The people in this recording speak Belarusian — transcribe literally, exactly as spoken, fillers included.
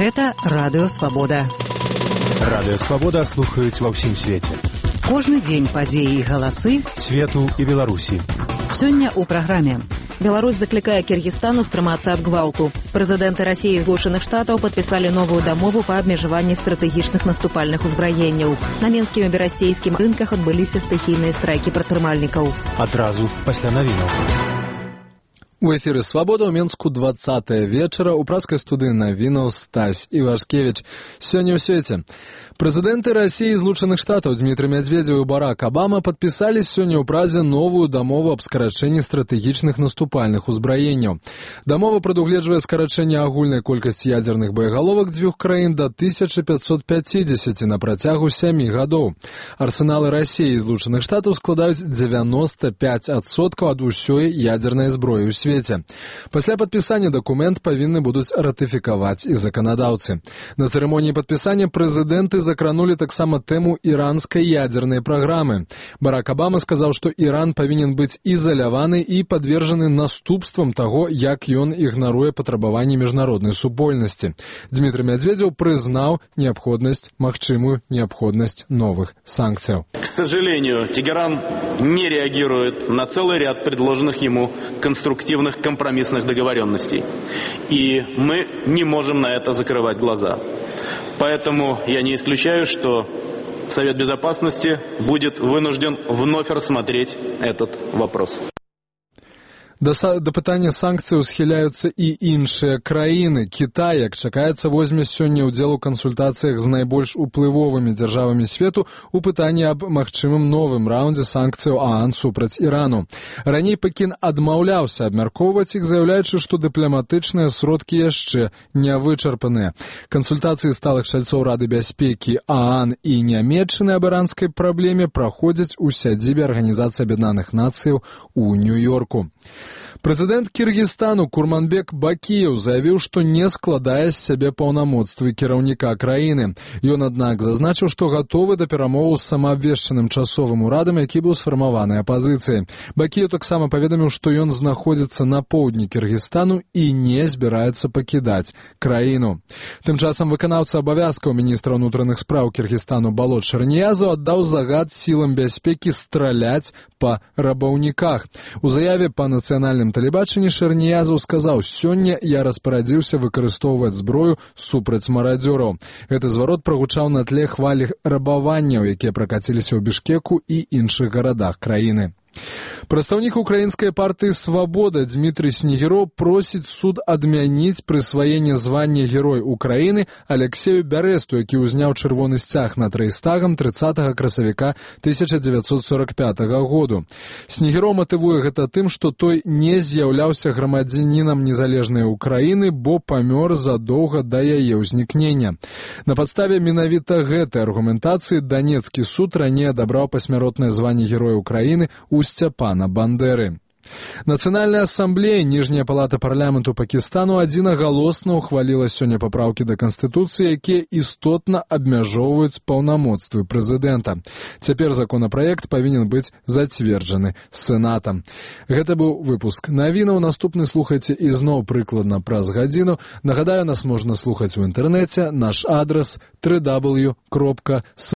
Гэта Радыё Свабода. Радыё Свабода слухаюць ва ўсім свеце. Кожны дзень падзеі і галасы свету і Беларусі. Сёння ў праграме. Беларусь закликае Киргизстан устрымацца ад гвалту. Прэзідэнты России і Злучаных Штатаў падпісалі новую дамову па абмежаванні стратэгічных наступальных узбраенняў. На менскім і берасцейскім рынках адбыліся стыхійныя страйкі прадпрымальнікаў. Адразу пасля навінаў. У эфіры «Свабода» ў Менску двадцатае вечара у праскай студыі навінаў Стась Івашкевіч. Сёння ў свеце. Прэзідэнты России і Злучаных Штатаў Дмітрый Медведзеў і Барак Обама падпісалі сёння ў Празе новую дамову аб скарачэнні стратэгічных наступальных узбраенняў. Дамова прадугледжвае скарачэнне агульнай колькасці ядзерных боегаловак дзвюх краін да тысячы пятьсот пятьдесят на працягу сямі гадоў. Арсеналы России і Злучаных Штатаў складаюць дзевяносто пять адсоткаў ад усёй ядзернай зброі ў свеце. Пасля падпісання дакумент павінны будуць ратыфікаваць і заканадаўцы. На цырымоніі падпісання прэзідэнты закранулі таксама тэму іранскай ядзернай праграмы. Барак Обама сказаў, што Іран павінен быць ізаляваны і падвержаны наступствам таго, як ён ігнаруе патрабаванні міжнароднай супольнасці. Дмітрый Медведзеў прызнаў неабходнасць, магчымую неабходнасць новых санкцыяў. К сожалению, Тегеран не реагирует на целый ряд предложенных ему конструктивных компромиссных договоренностей. И мы не можем на это закрывать глаза. Поэтому я не исключаю, что Совет Безопасности будет вынужден вновь рассмотреть этот вопрос. Да, да пытання санкцыяў схіляюцца і іншыя краіны. Кітай, як чакаецца, возьме сёння ўдзел у кансультацыях з найбольш уплывовымі дзяржавамі свету у пытанні аб магчымым новым раўндзе санкцыяў ААН супраць Ірану. Раней Пекін адмаўляўся абмяркоўваць іх, заяўляючы, што дыпламатычныя сродкі яшчэ не вычарпаныя. Кансультацыі сталых чальцоў Рады бяспекі ААН і Нямецчыны аб іранскай праблеме праходзяць у сядзібе Арганізацыі Аб'яднаных Нацыяў у Нью-Йорку. Прэзідэнт Кіргізстану Курманбек Бакіеў заявіў, што не складае з сябе паўнамоцтвы кіраўніка краіны. Ён, аднак, зазначыў, што гатовы да перамоваў з самаабвешчаным часовым урадам, які быў сфармаваны апазіцыяй. Бакіеў таксама паведаміў, што ён знаходзіцца на поўдні Кіргізстану і не збіраецца пакідаць краіну. Тым часам выканаўца абавязкаў міністра ўнутраных спраў Кіргізстану Балот Шарніязаў аддаў загад сілам бяспекі страляць па рабаўніках. У заяве па нацыянальным тэлебачанні Шарніязаў сказаў: «Сёння я распарадзіўся выкарыстоўваць зброю супраць марадзёраў». Гэты зварот прагучаў на тле хвалі рабаванняў, якія пракаціліся ў Бішкеку і іншых гарадах краіны. Прадстаўнік украінскай партыі «Свабода» Дмітрый Снегіроў просіць суд адмяніць прысваенне звання Герой Украіны Алексею Бярэсту, які ўзняў чырвоны сцяг над рэйхстагам трыццатага красавіка тысяча дзевяцьсот сорок пятага году. Снегіроў матывуе гэта тым, што той не з'яўляўся грамадзянінам незалежнай Украіны, бо памёр задоўга да яе ўзнікнення. На падставе менавіта гэтай аргументацыі Данецкі суд раней адабраў пасмяротнае званне Героя Украіны у Сцяпана Бандеры. Нацыянальная асамблея, ніжняя палата парламенту Пакістану адзінагалосна ухваліла сёння папраўкі да Канстытуцыі, якія істотна абмяжоўваюць паўнамоцтвы прэзідэнта. Цяпер законапраект павінен быць зацверджаны Сенатам. Гэта быў выпуск навінаў. Наступны слухайце ізноў прыкладна праз гадзіну. Нагадаю, нас можна слухаць у інтэрнэце. Наш адрас дабл ю дабл ю дабл ю кропка